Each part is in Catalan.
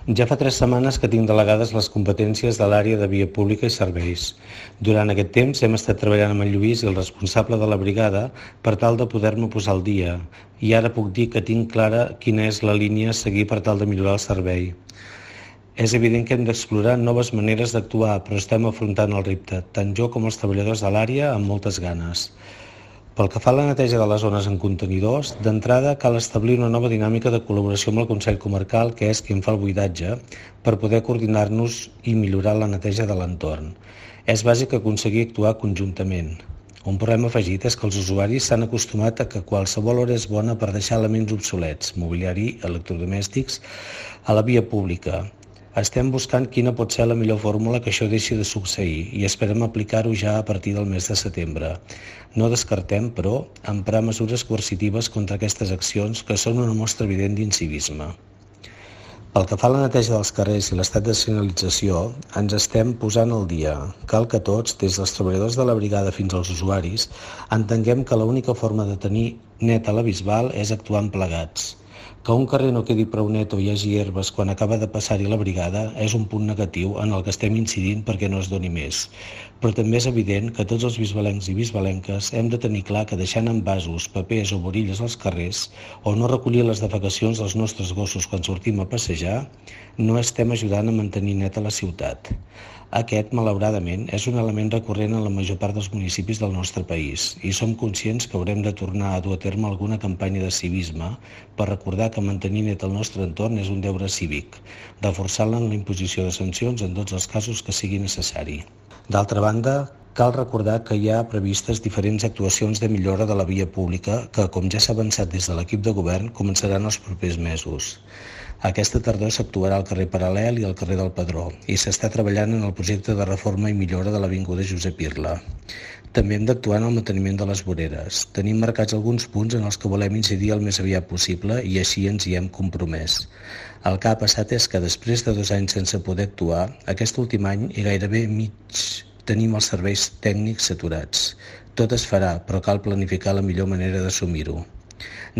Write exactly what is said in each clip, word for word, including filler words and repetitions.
Ja fa tres setmanes que tinc delegades les competències de l'àrea de via pública i serveis. Durant aquest temps hem estat treballant amb en Lluís i el responsable de la brigada per tal de poder-me posar al dia, i ara puc dir que tinc clara quina és la línia a seguir per tal de millorar el servei. És evident que hem d'explorar noves maneres d'actuar, però estem afrontant el repte, tant jo com els treballadors de l'àrea, amb moltes ganes. Pel que fa a la neteja de les zones en contenidors, d'entrada cal establir una nova dinàmica de col·laboració amb el Consell Comarcal, que és qui en fa el buidatge, per poder coordinar-nos i millorar la neteja de l'entorn. És bàsic aconseguir actuar conjuntament. Un problema afegit és que els usuaris s'han acostumat a que qualsevol hora és bona per deixar elements obsolets, mobiliari, electrodomèstics, a la via pública. Estem buscant quina pot ser la millor fórmula que això deixi de succeir i esperem aplicar-ho ja a partir del mes de setembre. No descartem, però, emprar mesures coercitives contra aquestes accions que són una mostra evident d'incivisme. Pel que fa a la neteja dels carrers i l'estat de senyalització, ens estem posant al dia. Cal que tots, des dels treballadors de la brigada fins als usuaris, entenguem que l'única forma de tenir neta la Bisbal és actuant plegats. Que un carrer no quedi prou net o hi hagi herbes quan acaba de passar-hi la brigada és un punt negatiu en el que estem incidint perquè no es doni més. Però també és evident que tots els bisbalencs i bisbalenques hem de tenir clar que deixant envasos, papers o borilles als carrers o no recollir les defecacions dels nostres gossos quan sortim a passejar, no estem ajudant a mantenir neta la ciutat. Aquest, malauradament, és un element recurrent en la major part dels municipis del nostre país i som conscients que haurem de tornar a dur a terme alguna campanya de civisme per recordar que mantenir net el nostre entorn és un deure cívic, reforçant-la en la imposició de sancions en tots els casos que sigui necessari. D'altra banda, cal recordar que hi ha previstes diferents actuacions de millora de la via pública que, com ja s'ha avançat des de l'equip de govern, començaran els propers mesos. Aquesta tardor s'actuarà al carrer Paral·lel i al carrer del Pedró i s'està treballant en el projecte de reforma i millora de l'avinguda Josep Irla. També hem d'actuar en el manteniment de les voreres. Tenim marcats alguns punts en els que volem incidir el més aviat possible i així ens hi hem compromès. El que ha passat és que després de dos anys sense poder actuar, aquest últim any i gairebé mig tenim els serveis tècnics saturats. Tot es farà, però cal planificar la millor manera d'assumir-ho.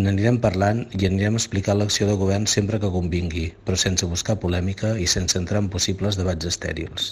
N'anirem parlant i anirem explicant l'acció de govern sempre que convingui, però sense buscar polèmica i sense entrar en possibles debats estèrils.